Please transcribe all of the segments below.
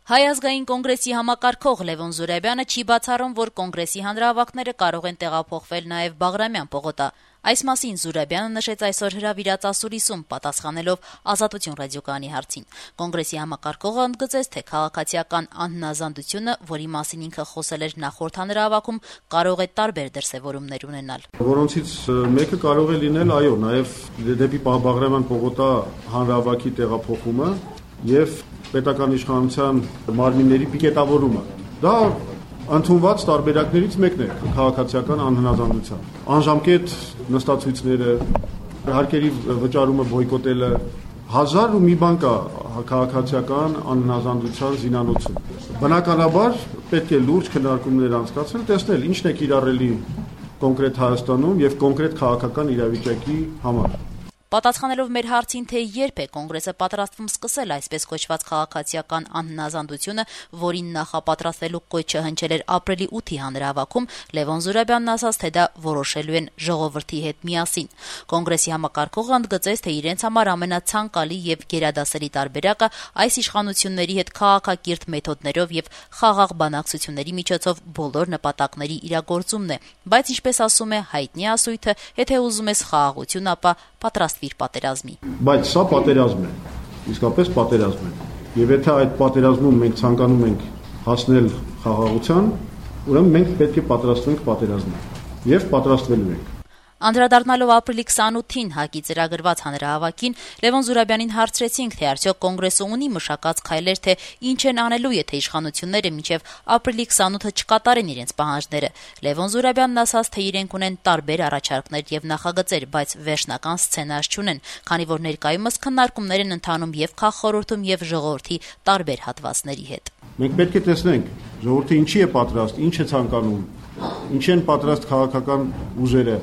Հայ ազգային կոնգրեսի համակարգող Լևոն Զուրաբյանը չի բացառում, որ կոնգրեսի հանրահավաքները կարող են տեղափոխվել նաև Բաղրամյան պողոտա։ Այս մասին Զուրաբյանը նշեց այսօր հրավիրած ասուլիսում, պատասխանելով Ազատություն ռադիոկայանի հարցին։ Կոնգրեսի համակարգողը ընդգծեց, թե քաղաքացիական անհնազանդությունը, որի մասին ինքը խոսել էր նախորդ հանրահավաքում, կարող է տարբեր դրսևորումներ ունենալ։ Որոնցից մեկը կարող է լինել, այո, նաև դեպի Բաղրամյան պողոտա հանրահավաքի տեղափոխումը եւ պետական իշխանության մարմինների պիկետավորումը։ Դա ընդունված տարբերակներից մեկն է քաղաքացիական անհնազանդության։ Անժամկետ նստացույցները, հարկերի վճարումը բոյկոտելը, հազար ու մի բան կա քաղաքացիական անհնազանդության զինանոցում։ Բնականաբար պետք է լուրջ քննարկումներ անցկացնել, տեսնել ինչն է կիրառելի կոնկրետ Հայաստանում եւ կոնկրետ քաղաքական իրավիճակի համար։ Պատասխանելով մեր հարցին, թե երբ է կոնգրեսը պատրաստվում սկսել այսպես կոչված քաղաքացիական անհնազանդությունը, որին նախապատրաստվելու կոչը հնչել էր ապրիլի 8-ի հանրահավաքում, Լևոն Զուրաբյանն ասաց, թե դա որոշելու են ժողովրդի հետ միասին։ Կոնգրեսի համակարգողը ընդգծեց, թե իրենց համար ամենացանկալի եւ գերադասելի տարբերակը այս իշխանությունների հետ քաղաքակիրթ մեթոդներով եւ խաղաղ բանակցությունների միջոցով բոլոր նպատակների իրագործումն է, բայց ինչպես ասում է հայտնի ասույթը, եթե ուզում ես խաղաղություն, ապա պատրաստվիր պատերազմի։ Բայց սա պատերազմ է, իսկապես պատերազմ է։ Եվ եթե այդ պատերազմում մենք ցանկանում ենք հասնել խաղաղության, ուրեմն մենք պետք է պատրաստվենք պատերազմին եւ պատրաստվելու ենք։ Անդրադառնալով ապրիլի 28-ին ՀԱԿ-ի ծրագրված հանրահավաքին, Լևոն Զուրաբյանին հարցրեցինք, թե արդյոք կոնգրեսը ունի մշակած քայլեր, թե ինչ են անելու, եթե իշխանությունները մինչև ապրիլի 28-ը չկատարեն իրենց պահանջները։ Լևոն Զուրաբյանն ասաց, թե իրենք ունեն տարբեր առաջարկներ եւ նախագծեր, բայց վերջնական սցենար չունեն, քանի որ ներկայումս քննարկումներ են ընթանում եւ քաղխորհրդում եւ ժողովրդի տարբեր հատվածների հետ։ Մենք պետք է տեսնենք ժողովուրդը ինչի է պատրաստ, ինչ է ցանկանում, ինչ են պատրաստ քաղաքական ուժերը։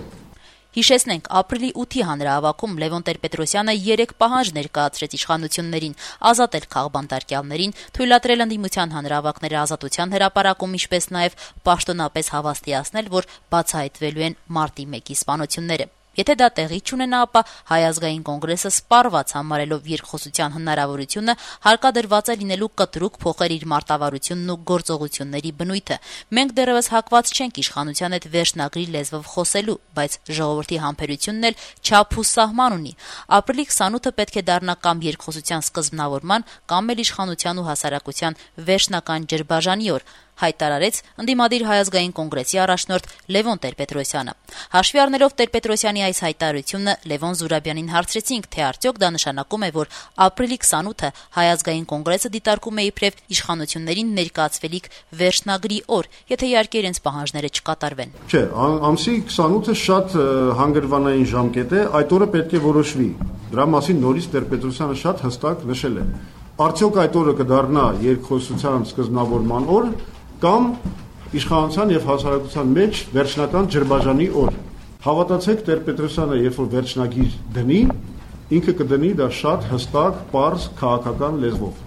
Հիշեցնենք, ապրիլի 8-ի հանրահավաքում Լևոն Տեր-Պետրոսյանը 3 պահանջ ներկայացրեց իշխանություններին՝ ազատել քաղբանտարկյալներին, թույլատրել ընդդիմության հանրահավաքները Ազատության հրապարակում, ինչպես նաև պաշտոնապես հավաստիացնել, որ բացահայտվելու են մարտի 1-ի սպանությունները։ Եթե դա տեղի չունենա, ապա Հայ ազգային կոնգրեսը սպառված համարելով երկխոսության հնարավորությունը հարկադրված է լինելու կտրուկ փոխել իր մարտավարությունն ու գործողությունների բնույթը։ Մենք դեռևս հակված չենք իշխանության հետ վերջնագրի լեզվով խոսելու, բայց ժողովրդի համբերությունն էլ չափ ու սահման ունի։ Ապրիլի 28-ը պետք է դառնա կամ երկխոսության սկզբնավորման, կամ էլ իշխանության ու հասարակության վերջնական ջրբաժանի օր, հայտարարեց ընդդիմադիր Հայ ազգային կոնգրեսի առաջնորդ Լևոն Տեր-Պետրոսյանը։ Հաշվի առնելով Տեր-Պետրոսյանի այս հայտարարությունը, Լևոն Զուրաբյանին հարցրեցինք, թե արդյոք դա նշանակում է, որ ապրիլի 28-ը Հայ ազգային կոնգրեսը դիտարկում է իբրև իշխանություններին ներկայացվելիք վերջնագրի օր, եթե իհարկե իրենց պահանջները չկատարվեն։ Չէ, ամսի 28-ը շատ հանգրվանային ժամկետ է, այդ օրը պետք է որոշվի։ Դրա մասին նորից Տեր-Պետրոսյանը շատ հստակ նշել է։ Արդյոք այդ օրը կդառնա երկխոսության սկզբնավորման օր, կամ իշխանության եւ հասարակության մեջ վերջնական ջրբաժանի օր։ Հավատացեք, Տեր-Պետրոսյանը, երբ որ վերջնագիր դնի, ինքը կդնի դա շատ հստակ, պարզ քաղաքական լեզվով։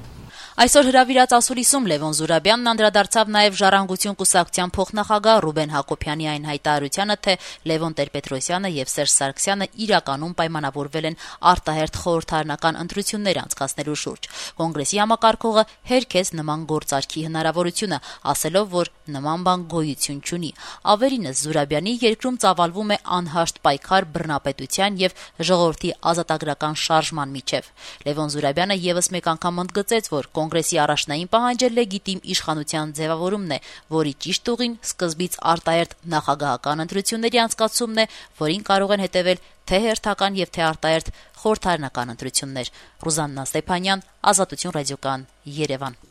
Այսօր հրավիրած ասուլիսում Լևոն Զուրաբյանն անդրադարձավ նաև Ժառանգություն կուսակցության փոխնախագահ Ռուբեն Հակոբյանի այն հայտարարությանը, թե Լևոն Տեր-Պետրոսյանը եւ Սերժ Սարգսյանը իրականում պայմանավորվել են արտահերթ խորհրդարանական ընտրություններ անցկացնելու շուրջ։ Կոնգրեսի համակարգողը հերքեց նման գործարքի հնարավորությունը, ասելով, որ նման բան գոյություն չունի։ Ավելինս, Զուրաբյանի երկրում ծավալվում է անհաշտ պայքար բռնապետության եւ ժողովրդի ազատագրական շարժման միջև։ Լևոն Զուրաբյանը եւս մեկ անգամ ընդգծեց, որ Կոնգրեսի առաջնային պահանջը լեգիտիմ իշխանության ձևավորումն է, որի ճիշտ ուղին սկզբից արտահերթ նախագահական ընտրությունների անցկացումն է, որին կարող են հետևել թե հերթական եւ թե արտահերթ խորհրդարանական ընտրություններ։ Ռուզաննա Ստեփանյան, Ազատություն ռադիոկայան, Երևան։